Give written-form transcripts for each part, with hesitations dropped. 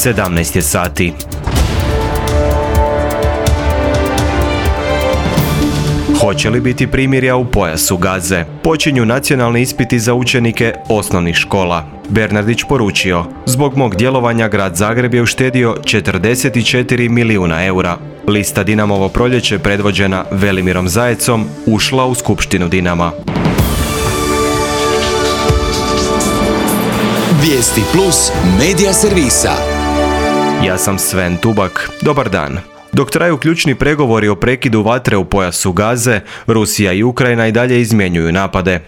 17 je sati. Hoće li biti primirja u pojasu Gaze? Počinju nacionalni ispiti za učenike osnovnih škola. Bernardić poručio: zbog mog djelovanja grad Zagreb je uštedio 44 milijuna eura. Lista Dinamovo proljeće, predvođena Velimirom Zajecom, ušla u skupštinu Dinama. Vijesti plus medija servisa. Ja sam Sven Tubak. Dobar dan. Dok traju ključni pregovori o prekidu vatre u pojasu Gaze, Rusija i Ukrajina i dalje izmjenjuju napade.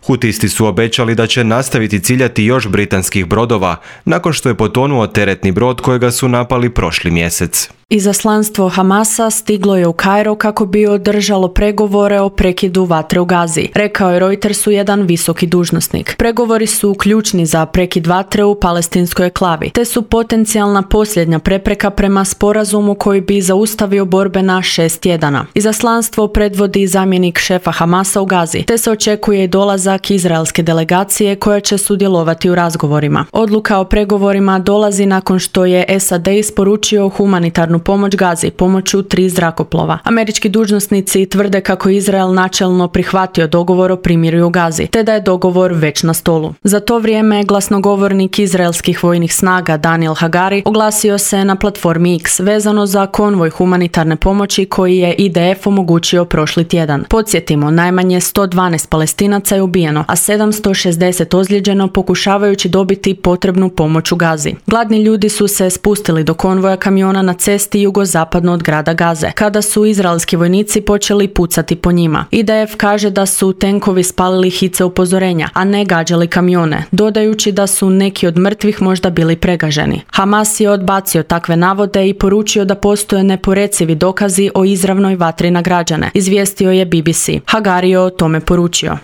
Hutisti su obećali da će nastaviti ciljati još britanskih brodova nakon što je potonuo teretni brod kojega su napali prošli mjesec. Izaslanstvo Hamasa stiglo je u Kairo kako bi održalo pregovore o prekidu vatre u Gazi, rekao je Reutersu jedan visoki dužnosnik. Pregovori su ključni za prekid vatre u palestinskoj enklavi, te su potencijalna posljednja prepreka prema sporazumu koji bi zaustavio borbe na 6 tjedana. Izaslanstvo predvodi zamjenik šefa Hamasa u Gazi, te se očekuje i dolazak izraelske delegacije koja će sudjelovati u razgovorima. Odluka o pregovorima dolazi nakon što je SAD isporučio humanitarnu pomoć Gazi pomoću 3 zrakoplova. Američki dužnosnici tvrde kako je Izrael načelno prihvatio dogovor o primirju u Gazi, te da je dogovor već na stolu. Za to vrijeme glasnogovornik izraelskih vojnih snaga Daniel Hagari oglasio se na platformi X vezano za konvoj humanitarne pomoći koji je IDF omogućio prošli tjedan. Podsjetimo, najmanje 112 Palestinaca je ubijeno, a 760 ozlijeđeno pokušavajući dobiti potrebnu pomoć u Gazi. Gladni ljudi su se spustili do konvoja kamiona na cesti jugozapadno od grada Gaze, kada su izraelski vojnici počeli pucati po njima. IDF kaže da su tenkovi spalili hice upozorenja, a ne gađali kamione, dodajući da su neki od mrtvih možda bili pregaženi. Hamas je odbacio takve navode i poručio da postoje neporecivi dokazi o izravnoj vatri na građane, izvijestio je BBC. Hagari je o tome poručio: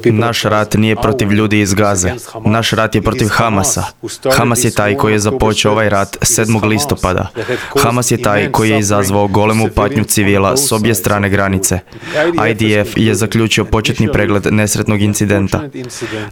naš rat nije protiv ljudi iz Gaze. Naš rat je protiv Hamasa. Hamas je taj koji je započeo ovaj rat 7. listopada. Hamas je taj koji je izazvao golemu patnju civila s obje strane granice. IDF je zaključio početni pregled nesretnog incidenta.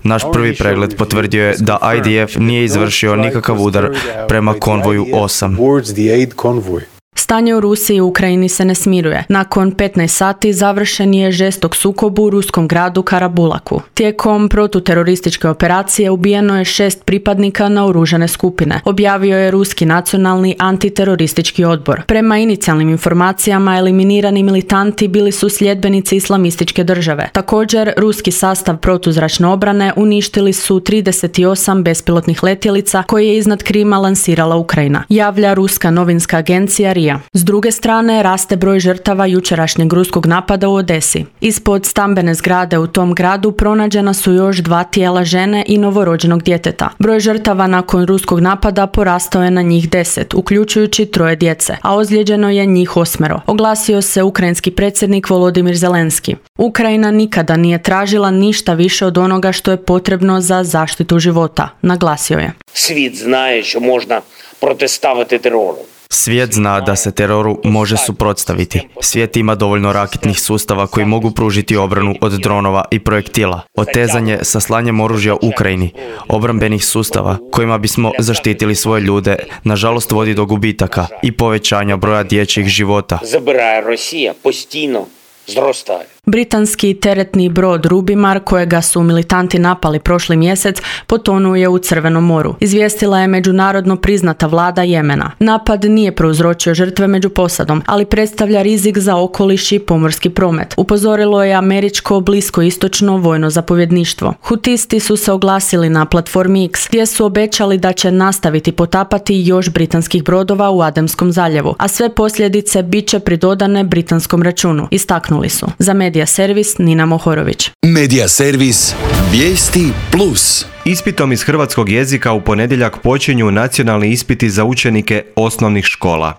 Naš prvi pregled potvrdio je da IDF nije izvršio nikakav udar prema konvoju 8. Stanje u Rusiji i Ukrajini se ne smiruje. Nakon 15 sati završen je žestok sukob u ruskom gradu Karabulaku. Tijekom protuterorističke operacije ubijeno je 6 pripadnika naoružane skupine, objavio je Ruski nacionalni antiteroristički odbor. Prema inicijalnim informacijama, eliminirani militanti bili su sljedbenici islamističke države. Također, ruski sastav protuzračne obrane uništili su 38 bespilotnih letjelica koje je iznad Krima lansirala Ukrajina, javlja ruska novinska agencija RIA. S druge strane, raste broj žrtava jučerašnjeg ruskog napada u Odesi. Ispod stambene zgrade u tom gradu pronađena su još 2 tijela žene i novorođenog djeteta. Broj žrtava nakon ruskog napada porastao je na njih 10, uključujući 3 djece, a ozlijeđeno je njih 8, oglasio se ukrajinski predsjednik Volodimir Zelenski. Ukrajina nikada nije tražila ništa više od onoga što je potrebno za zaštitu života, naglasio je. Svijet zna što možda protestavati teroru. Svijet zna da se teroru može suprotstaviti. Svijet ima dovoljno raketnih sustava koji mogu pružiti obranu od dronova i projektila. Otezanje sa slanjem oružja Ukrajini, obrambenih sustava kojima bismo zaštitili svoje ljude, nažalost vodi do gubitaka i povećanja broja dječjih života. Zabiraje Rusija postino zrostaje. Britanski teretni brod Rubimar, kojega su militanti napali prošli mjesec, potonuo je u Crvenom moru, izvijestila je međunarodno priznata vlada Jemena. Napad nije prouzročio žrtve među posadom, ali predstavlja rizik za okoliš i pomorski promet, upozorilo je američko bliskoistočno vojno zapovjedništvo. Hutisti su se oglasili na platformi X, gdje su obećali da će nastaviti potapati još britanskih brodova u Adenskom zaljevu, a sve posljedice bit će pridodane britanskom računu, istaknuli su. Za Medija servis Nina Mohorović. Medija servis Vijesti plus. Ispitom iz hrvatskog jezika u ponedjeljak počinju nacionalni ispiti za učenike osnovnih škola.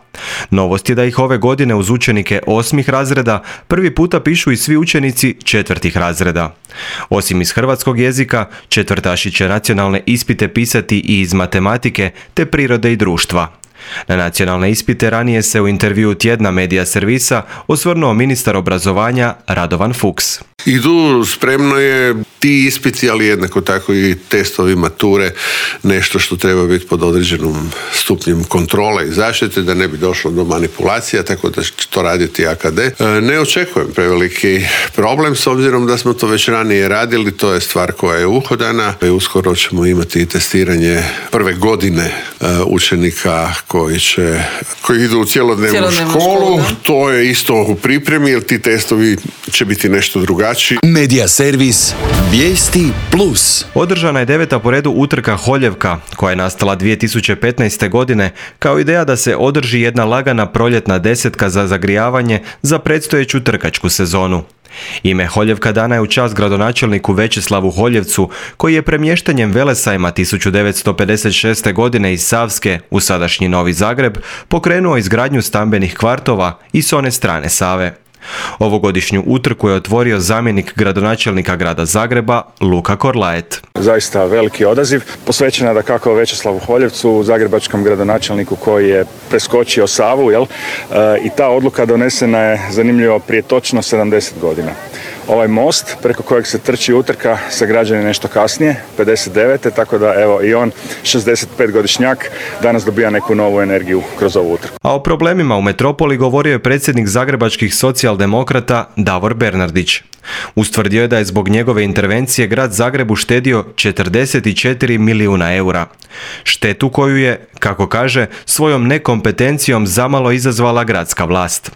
Novost je da ih ove godine uz učenike 8. razreda prvi puta pišu i svi učenici 4. razreda. Osim iz hrvatskog jezika, četvrtaši će nacionalne ispite pisati i iz matematike te prirode i društva. Na nacionalne ispite ranije se u intervjuu tjedna Medija servisa osvrnuo ministar obrazovanja Radovan Fuchs. I tu spremno je ti ispiti, ali jednako tako i testovi mature, nešto što treba biti pod određenom stupnjem kontrole i zaštite, da ne bi došlo do manipulacija, tako da će to raditi AKD. Ne očekujem preveliki problem, s obzirom da smo to već ranije radili, to je stvar koja je uhodana i uskoro ćemo imati i testiranje prve godine učenika koji idu u cjelodnevnu školu. To je isto u pripremi, jer ti testovi će biti nešto drugačiji. Medija servis Vijesti Plus. Održana je 9. po redu utrka Holjevka, koja je nastala 2015. godine kao ideja da se održi jedna lagana proljetna desetka za zagrijavanje za predstojeću trkačku sezonu. Ime Holjevka dana je u čast gradonačelniku Večeslavu Holjevcu, koji je premještanjem Velesajma 1956. godine iz Savske u sadašnji Novi Zagreb pokrenuo izgradnju stambenih kvartova i s one strane Save. Ovogodišnju utrku je otvorio zamjenik gradonačelnika grada Zagreba Luka Korlaet. Zaista veliki odaziv, posvećena dakako Večeslavu Holjevcu, zagrebačkom gradonačelniku koji je preskočio Savu, i ta odluka donesena je, zanimljivo, prije točno 70 godina. Ovaj most preko kojeg se trči utrka sagrađen je nešto kasnije, 59. tako da evo i on, 65-godišnjak, danas dobija neku novu energiju kroz ovu utrku. A o problemima u metropoli govorio je predsjednik zagrebačkih socijaldemokrata Davor Bernardić. Ustvrdio je da je zbog njegove intervencije grad Zagreb uštedio 44 milijuna eura. Štetu koju je, kako kaže, svojom nekompetencijom zamalo izazvala gradska vlast.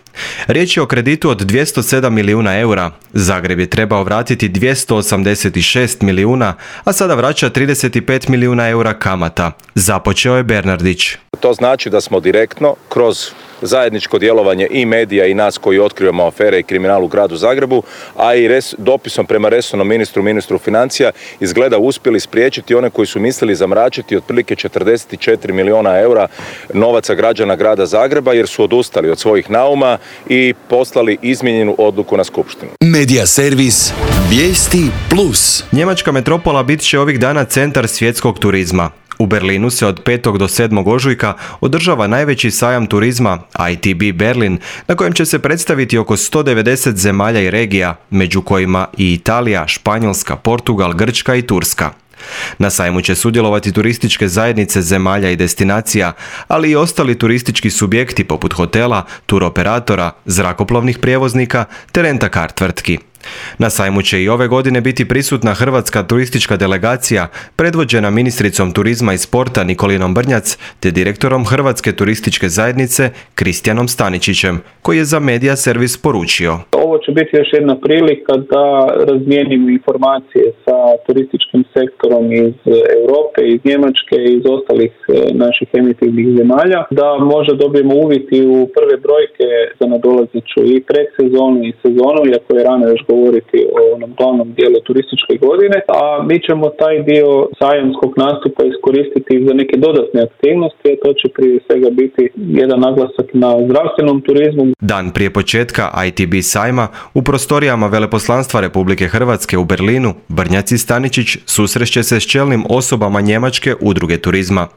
Riječ je o kreditu od 207 milijuna eura. Zagreb je trebao vratiti 286 milijuna, a sada vraća 35 milijuna eura kamata. Započeo je Bernardić. To znači da smo direktno kroz zajedničko djelovanje i medija i nas koji otkrivamo afere i kriminal u gradu Zagrebu, a i dopisom prema resornom ministru financija izgleda uspjeli spriječiti one koji su mislili zamračiti otprilike 44 milijuna eura novaca građana grada Zagreba, jer su odustali od svojih nauma i poslali izmijenjenu odluku na skupštinu. Medija servis Vijesti Plus. Njemačka metropola bit će ovih dana centar svjetskog turizma. U Berlinu se od 5. do 7. ožujka održava najveći sajam turizma ITB Berlin, na kojem će se predstaviti oko 190 zemalja i regija, među kojima i Italija, Španjolska, Portugal, Grčka i Turska. Na sajmu će sudjelovati turističke zajednice zemalja i destinacija, ali i ostali turistički subjekti poput hotela, turoperatora, zrakoplovnih prijevoznika te rent-a-car tvrtki. Na sajmu će i ove godine biti prisutna hrvatska turistička delegacija, predvođena ministricom turizma i sporta Nikolinom Brnjac, te direktorom Hrvatske turističke zajednice Kristijanom Staničićem, koji je za Medija servis poručio. Ovo će biti još jedna prilika da razmijenimo informacije sa turističkim sektorom iz Europe, iz Njemačke i iz ostalih naših emitivnih zemalja, da možda dobijemo uvid u prve brojke za nadolazeću i predsezonu i sezonu, iako je rano još govoriti o onom glavnom dijelu turističke godine, a mi ćemo taj dio sajamskog nastupa iskoristiti za neke dodatne aktivnosti, a to će prije svega biti jedan naglasak na zdravstvenom turizmu. Dan prije početka ITB sajma u prostorijama Veleposlanstva Republike Hrvatske u Berlinu, Brnjac i Staničić susreće se s čelnim osobama Njemačke udruge turizma.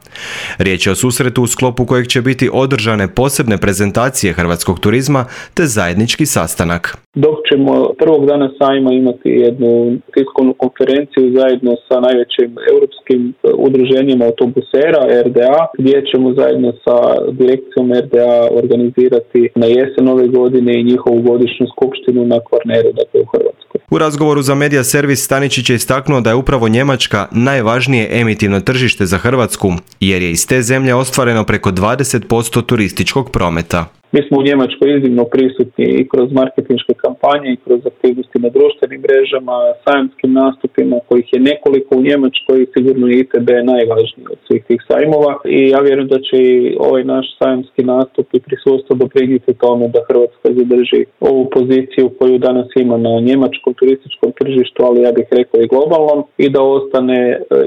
Riječ je o susretu u sklopu kojeg će biti održane posebne prezentacije hrvatskog turizma te zajednički sastanak. Dok ćemo prvog dana sajma imati jednu tiskovnu konferenciju zajedno sa najvećim europskim udruženjima autobusera RDA, gdje ćemo zajedno sa direkcijom RDA organizirati na jesen ove godine i njihovu godišnju skupštinu na Kvarneru, dakle u Hrvatskoj. U razgovoru za Medija servis Staničić je istaknuo da je upravo Njemačka najvažnije emitivno tržište za Hrvatsku, jer je iz te zemlje ostvareno preko 20% turističkog prometa. Mi smo u Njemačkoj iznimno prisutni i kroz marketinške kampanje i kroz aktivnosti na društvenim mrežama, sajamskim nastupima, kojih je nekoliko u Njemačkoj, sigurno je ITB najvažniji od svih tih sajmova i ja vjerujem da će i ovaj naš sajamski nastup i prisustvo doprinijeti tome da Hrvatska zadrži ovu poziciju koju danas ima na njemačkom turističkom tržištu, ali ja bih rekao i globalnom, i da ostane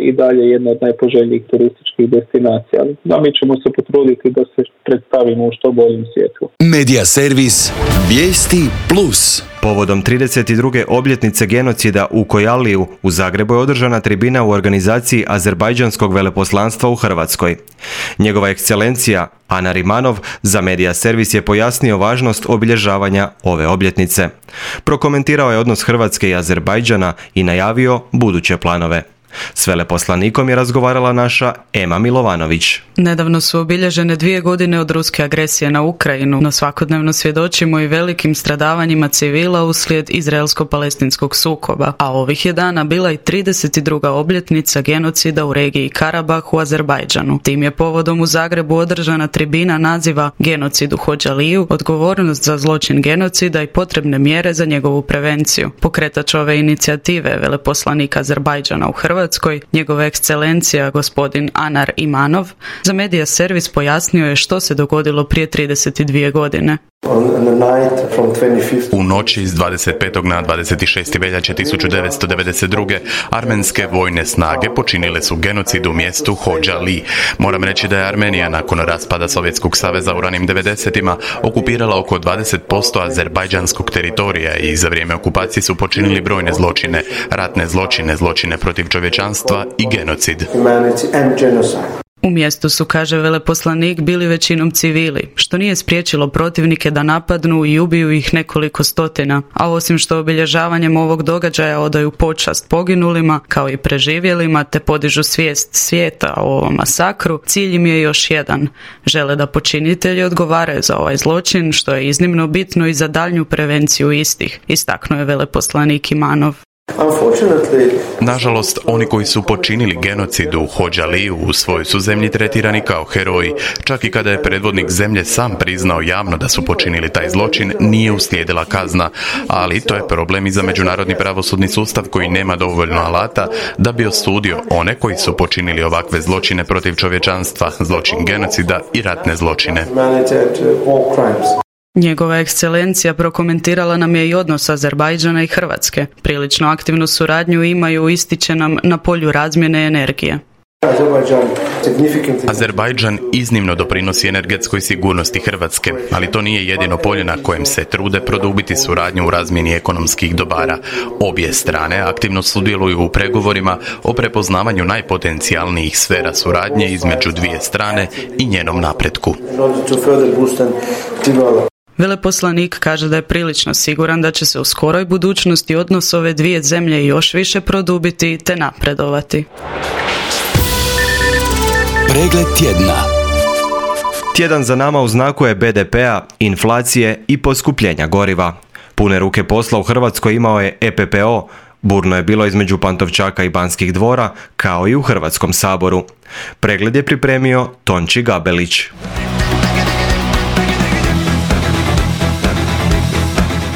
i dalje jedna od najpoželjnijih turističkih destinacija. A mi ćemo se potruditi da se predstavimo u što boljem svijetu. žrtvu. Medija servis Vijesti Plus. Povodom 32. obljetnice genocida u Kojaliju u Zagrebu je održana tribina u organizaciji Azerbajdžanskog veleposlanstva u Hrvatskoj. Njegova ekscelencija Anar Imanov za Medija servis je pojasnio važnost obilježavanja ove obljetnice. Prokomentirao je odnos Hrvatske i Azerbajdžana i najavio buduće planove. S veleposlanikom je razgovarala naša Ema Milovanović. Nedavno su obilježene 2 godine od ruske agresije na Ukrajinu, no svakodnevno svjedočimo i velikim stradavanjima civila uslijed izraelsko-palestinskog sukoba, a ovih je dana bila i 32. obljetnica genocida u regiji Karabah u Azerbajdžanu. Tim je povodom u Zagrebu održana tribina naziva Genocid u Hodžaliju, odgovornost za zločin genocida i potrebne mjere za njegovu prevenciju. Pokretač ove inicijative, veleposlanik Azerbajdžana u Hrvatskoj, njegova ekscelencija gospodin Anar Imanov, za Medija servis pojasnio je što se dogodilo prije 32 godine. U noći iz 25. na 26. veljače 1992. armenske vojne snage počinile su genocid u mjestu Hodžali. Moram reći da je Armenija nakon raspada Sovjetskog saveza u ranim 90-ima okupirala oko 20% azerbajdžanskog teritorija i za vrijeme okupacije su počinili brojne zločine, ratne zločine, zločine protiv čovječanstva i genocid. U mjestu su, kaže veleposlanik, bili većinom civili, što nije spriječilo protivnike da napadnu i ubiju ih nekoliko stotina, a osim što obilježavanjem ovog događaja odaju počast poginulima, kao i preživjelima, te podižu svijest svijeta o ovom masakru, cilj im je još jedan. Žele da počinitelji odgovaraju za ovaj zločin, što je iznimno bitno i za daljnju prevenciju istih, istaknuo je veleposlanik Imanov. Nažalost, oni koji su počinili genocid u Hodžaliju u svojoj su zemlji tretirani kao heroji. Čak i kada je predvodnik zemlje sam priznao javno da su počinili taj zločin, nije uslijedila kazna. Ali to je problem i za međunarodni pravosudni sustav koji nema dovoljno alata da bi osudio one koji su počinili ovakve zločine protiv čovječanstva, zločin genocida i ratne zločine. Njegova ekscelencija prokomentirala nam je i odnos Azerbajdžana i Hrvatske. Prilično aktivnu suradnju imaju, ističe nam, na polju razmjene energije. Azerbajdžan iznimno doprinosi energetskoj sigurnosti Hrvatske, ali to nije jedino polje na kojem se trude produbiti suradnju u razmjeni ekonomskih dobara. Obje strane aktivno sudjeluju u pregovorima o prepoznavanju najpotencijalnijih sfera suradnje između dvije strane i njenom napretku. Veleposlanik kaže da je prilično siguran da će se u skoroj budućnosti odnos ove dvije zemlje još više produbiti te napredovati. Pregled tjedna. Tjedan za nama u znaku je BDP-a, inflacije i poskupljenja goriva. Pune ruke posla u Hrvatskoj imao je EPPO, burno je bilo između Pantovčaka i Banskih dvora, kao i u Hrvatskom saboru. Pregled je pripremio Tonči Gabelić.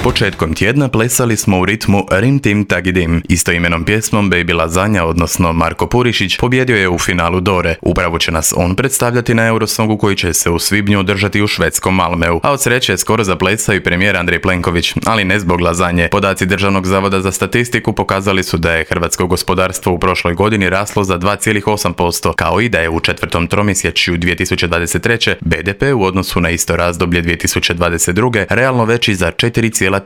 Početkom tjedna plesali smo u ritmu Rim Tim Tagidim. Istoimenom pjesmom Baby Lazanja, odnosno Marko Purišić, pobjedio je u finalu Dore. Upravo će nas on predstavljati na Eurosongu koji će se u svibnju održati u švedskom Malmeu. A od sreće je skoro zaplesao i premijer Andrej Plenković, ali ne zbog Lazanje. Podaci Državnog zavoda za statistiku pokazali su da je hrvatsko gospodarstvo u prošloj godini raslo za 2,8%, kao i da je u četvrtom tromjesečju 2023. BDP u odnosu na isto razdoblje 2022. realno veći za 4,3%,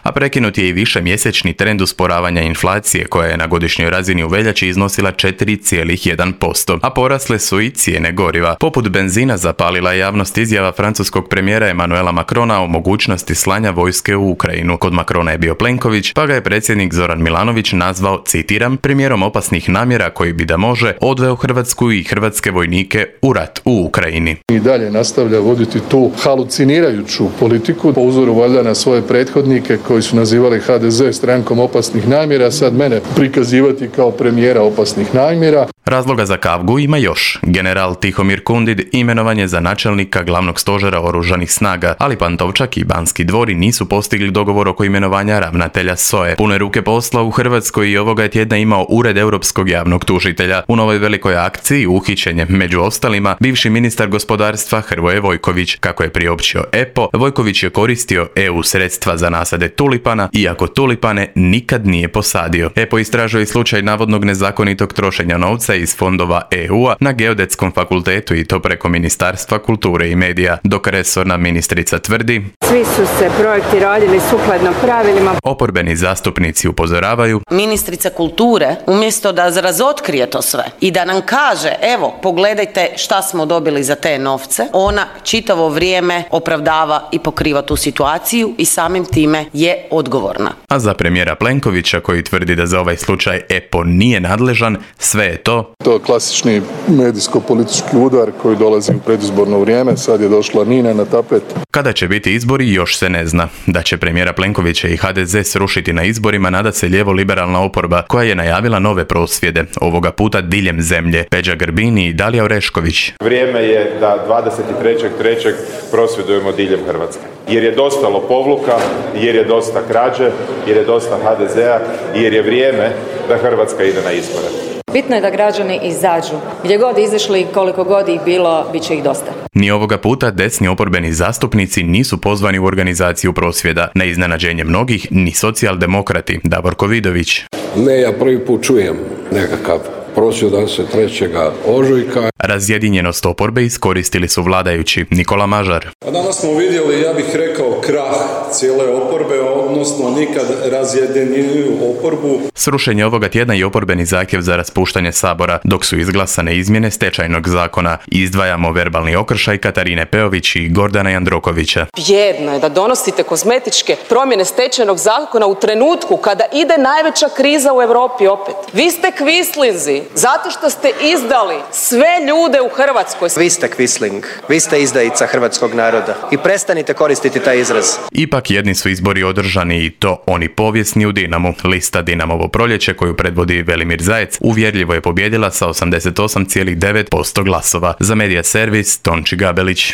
a prekinut je i višemjesečni trend usporavanja inflacije koja je na godišnjoj razini u veljači iznosila 4,1%, a porasle su i cijene goriva. Poput benzina zapalila je javnost izjava francuskog premijera Emmanuela Macrona o mogućnosti slanja vojske u Ukrajinu. Kod Macrona je bio Plenković, pa ga je predsjednik Zoran Milanović nazvao, citiram, premijerom opasnih namjera koji bi da može odveo Hrvatsku i hrvatske vojnike u rat u Ukrajini. I dalje nastavlja voditi tu halucinirajuću politiku po uzoru valjda na svoje prethodnike koji su nazivali HDZ strankom opasnih namjera, sad mene prikazivati kao premijera opasnih namjera. Razloga za kavgu ima još. General Tihomir Kundid imenovan je za načelnika glavnog stožera oružanih snaga, ali Pantovčak i Banski dvori nisu postigli dogovor oko imenovanja ravnatelja SOE. Pune ruke posla u Hrvatskoj i ovoga je tjedna imao Ured Europskog javnog tužitelja. U novoj velikoj akciji uhićen je, među ostalima, bivši ministar gospodarstva Hrvoje Vojković. Kako je priopćio EPO, Vojković je koristio EU sredstva sredstva za nasade tulipana, iako tulipane nikad nije posadio. EPO istražuje slučaj navodnog nezakonitog trošenja novca iz fondova EU-a na Geodetskom fakultetu i to preko Ministarstva kulture i medija, dok resorna ministrica tvrdi: svi su se projekti radili sukladno pravilima. Oporbeni zastupnici upozoravaju: ministrica kulture umjesto da razotkrije to sve i da nam kaže evo pogledajte šta smo dobili za te novce, ona čitavo vrijeme opravdava i pokriva tu situaciju i samim time je odgovorna. A za premijera Plenkovića, koji tvrdi da za ovaj slučaj EPO nije nadležan, sve je to. To je klasični medijsko-politički udar koji dolazi u predizborno vrijeme, sad je došla Nina na tapet. Kada će biti izbori još se ne zna. Da će premijera Plenkovića i HDZ srušiti na izborima nada se lijevo-liberalna oporba koja je najavila nove prosvjede, ovoga puta diljem zemlje. Peđa Grbin i Dalija Orešković. Vrijeme je da 23.3. prosvjedujemo diljem Hrvatske. Jer je dosta lopovluka, jer je dosta krađe, jer je dosta HDZ-a i jer je vrijeme da Hrvatska ide na izbore. Bitno je da građani izađu. Gdje god izašli, koliko god ih bilo, bit će ih dosta. Ni ovoga puta desni oporbeni zastupnici nisu pozvani u organizaciju prosvjeda. Na iznenađenje mnogih, ni socijaldemokrati. Davorko Vidović. Ne, ja prvi put čujem nekakav prosvjedan se 3. ožujka. Razjedinjenost oporbe iskoristili su vladajući. Nikola Mažar. A danas smo vidjeli, ja bih rekao, krah cijele oporbe, odnosno nikad razjedinjeniju oporbu. Srušenje ovoga tjedna i oporbeni zahtjev za raspuštanje Sabora, dok su izglasane izmjene stečajnog zakona. Izdvajamo verbalni okršaj Katarine Peović i Gordana Jandrokovića. Bjedno je da donosite kozmetičke promjene stečajnog zakona u trenutku kada ide najveća kriza u Europi opet. Vi ste kvislinzi zato što ste izdali sve ljude u Hrvatskoj. Vi ste kvisling, vi ste izdajica hrvatskog naroda i prestanite koristiti taj izraz. Ipak jedni su izbori održani i to oni povijesni u Dinamu. Lista Dinamovo proljeće koju predvodi Velimir Zajec uvjerljivo je pobijedila sa 88,9% glasova. Za Medija servis Tonči Gabelić.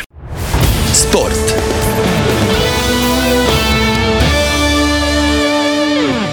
Sport.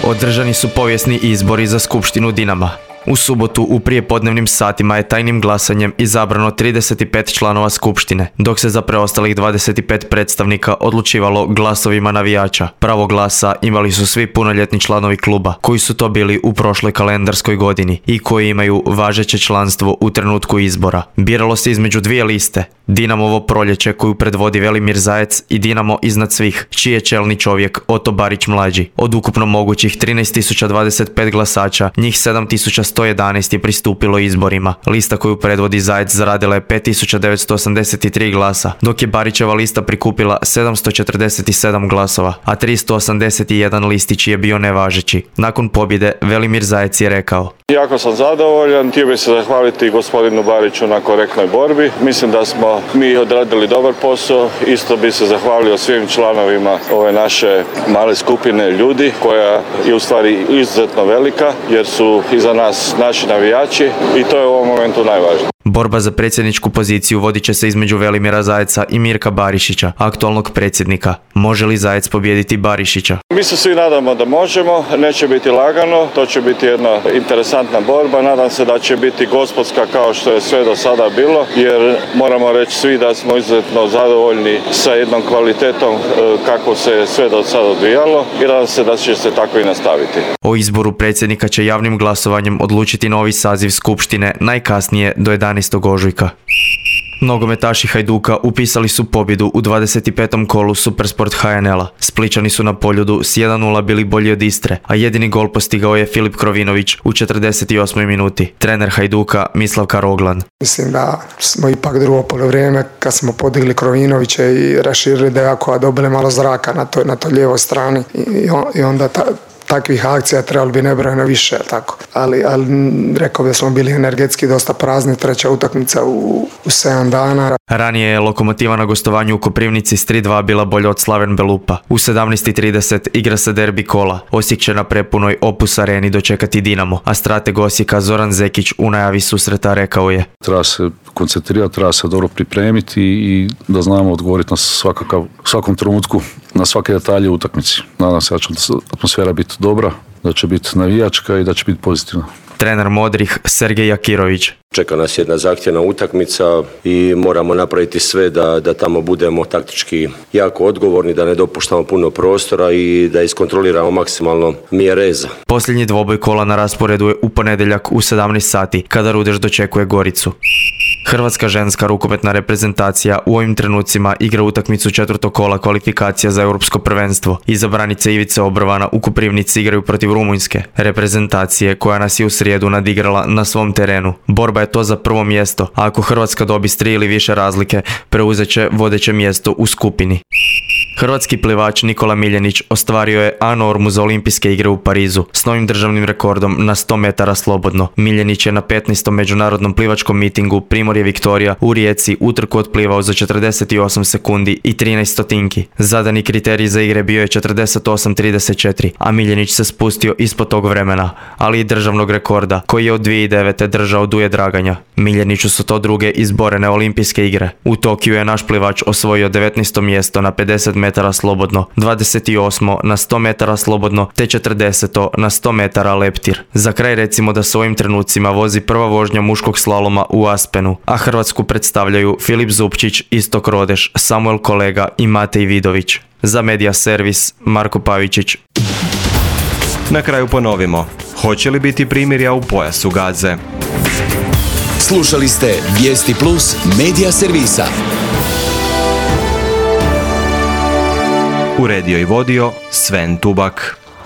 Održani su povijesni izbori za Skupštinu Dinama. U subotu u prijepodnevnim satima je tajnim glasanjem izabrano 35 članova skupštine, dok se za preostalih 25 predstavnika odlučivalo glasovima navijača. Pravo glasa imali su svi punoljetni članovi kluba, koji su to bili u prošloj kalendarskoj godini i koji imaju važeće članstvo u trenutku izbora. Biralo se između dvije liste, Dinamovo proljeće koju predvodi Velimir Zajec i Dinamo iznad svih, čiji je čelni čovjek Oto Barić mlađi. Od ukupno mogućih 13.025 glasača, njih 7.111 je pristupilo izborima. Lista koju predvodi Zajec zaradila je 5.983 glasa, dok je Barićeva lista prikupila 747 glasova, a 381 listić je bio nevažeći. Nakon pobjede Velimir Zajec je rekao: jako sam zadovoljan, htio bih se zahvaliti gospodinu Bariću na korektnoj borbi. Mislim da smo mi odradili dobar posao. Isto bih se zahvalio svim članovima ove naše male skupine ljudi koja je u stvari izuzetno velika jer su iza nas naši navijači i to je u ovom momentu najvažnije. Borba za predsjedničku poziciju vodit će se između Velimira Zajeca i Mirka Barišića, aktualnog predsjednika. Može li Zajec pobijediti Barišića? Mi se svi nadamo da možemo, neće biti lagano, to će biti jedna interesantna borba. Nadam se da će biti gospodska kao što je sve do sada bilo, jer moramo reći svi da smo izuzetno zadovoljni sa jednom kvalitetom kako se sve do sada odvijalo i nadam se da će se tako i nastaviti. O izboru predsjednika će javnim glasovanjem odlučiti novi saziv skupštine najkasnije do 11. ožujka. Nogometaši Hajduka upisali su pobjedu u 25. kolu Supersport HNL-a. Spličani su na Poljudu s 1:0 bili bolji od Istre, a jedini gol postigao je Filip Krovinović u 48. minuti. Trener Hajduka Mislav Karoglan. Mislim da smo ipak drugo polovrijeme kad smo podigli Krovinovića i raširili Dejaku, a dobili malo zraka na toj lijevoj strani i onda takvih akcija trebalo bi nebrojeno više, tako. Ali rekao da smo bili energetski dosta prazni, treća utakmica u 7 dana. Ranije je Lokomotiva na gostovanju u Koprivnici s 3:2 bila bolja od Slaven Belupa. U 17:30 igra se derbi kola. Osijek će na prepunoj Opus areni dočekati Dinamo, a strateg Osijeka Zoran Zekić u najavi susreta rekao je: treba se koncentrirati, treba se dobro pripremiti i da znamo odgovoriti na svakom trenutku, na svake detalje u utakmici. Nadam se da će atmosfera biti dobra da će biti navijačka i da će biti pozitivna. Trener modrih Sergej Jakirović. Čeka nas jedna zahtjevna utakmica i moramo napraviti sve da tamo budemo taktički jako odgovorni, da ne dopuštamo puno prostora i da iskontroliramo maksimalno Mjereza. Posljednji dvoboj kola na rasporedu je u ponedjeljak u 17 sati, kada Rudeš dočekuje Goricu. Hrvatska ženska rukometna reprezentacija u ovim trenucima igra utakmicu 4. kola kvalifikacija za europsko prvenstvo. Izabranice Ivice Obrovana u Koprivnici igraju protiv Rumunjske reprezentacije koja nas je u srijedu nadigrala na svom terenu. Borba je to za prvo mjesto, a ako Hrvatska dobi s 3 ili više razlike, preuzet će vodeće mjesto u skupini. Hrvatski plivač Nikola Miljenić ostvario je A normu za olimpijske igre u Parizu s novim državnim rekordom na 100 metara slobodno. Miljenić je na 15. međunarodnom plivačkom mitingu Primorje Viktorija u Rijeci utrku otplivao za 48 sekundi i 13 stotinki. Zadani kriterij za igre bio je 48:34, a Miljenić se spustio ispod tog vremena, ali i državnog rekorda koji je od 2009. držao Duje Draganja. Miljeniću su to druge izborene olimpijske igre. U Tokiju je naš plivač osvojio 19. mjesto na 50 metara slobodno, 28. na 100 metara slobodno, te 40. na 100 metara leptir. Za kraj recimo da se u ovim trenucima vozi prva vožnja muškog slaloma u Aspenu, a Hrvatsku predstavljaju Filip Zupčić, Istok Rodeš, Samuel Kolega i Matej Vidović. Za Media Servis, Marko Pavičić. Na kraju ponovimo. Hoće li biti primirja u pojasu Gaze? Slušali ste Vijesti Plus Media Servisa. Uredio i vodio Sven Tubak.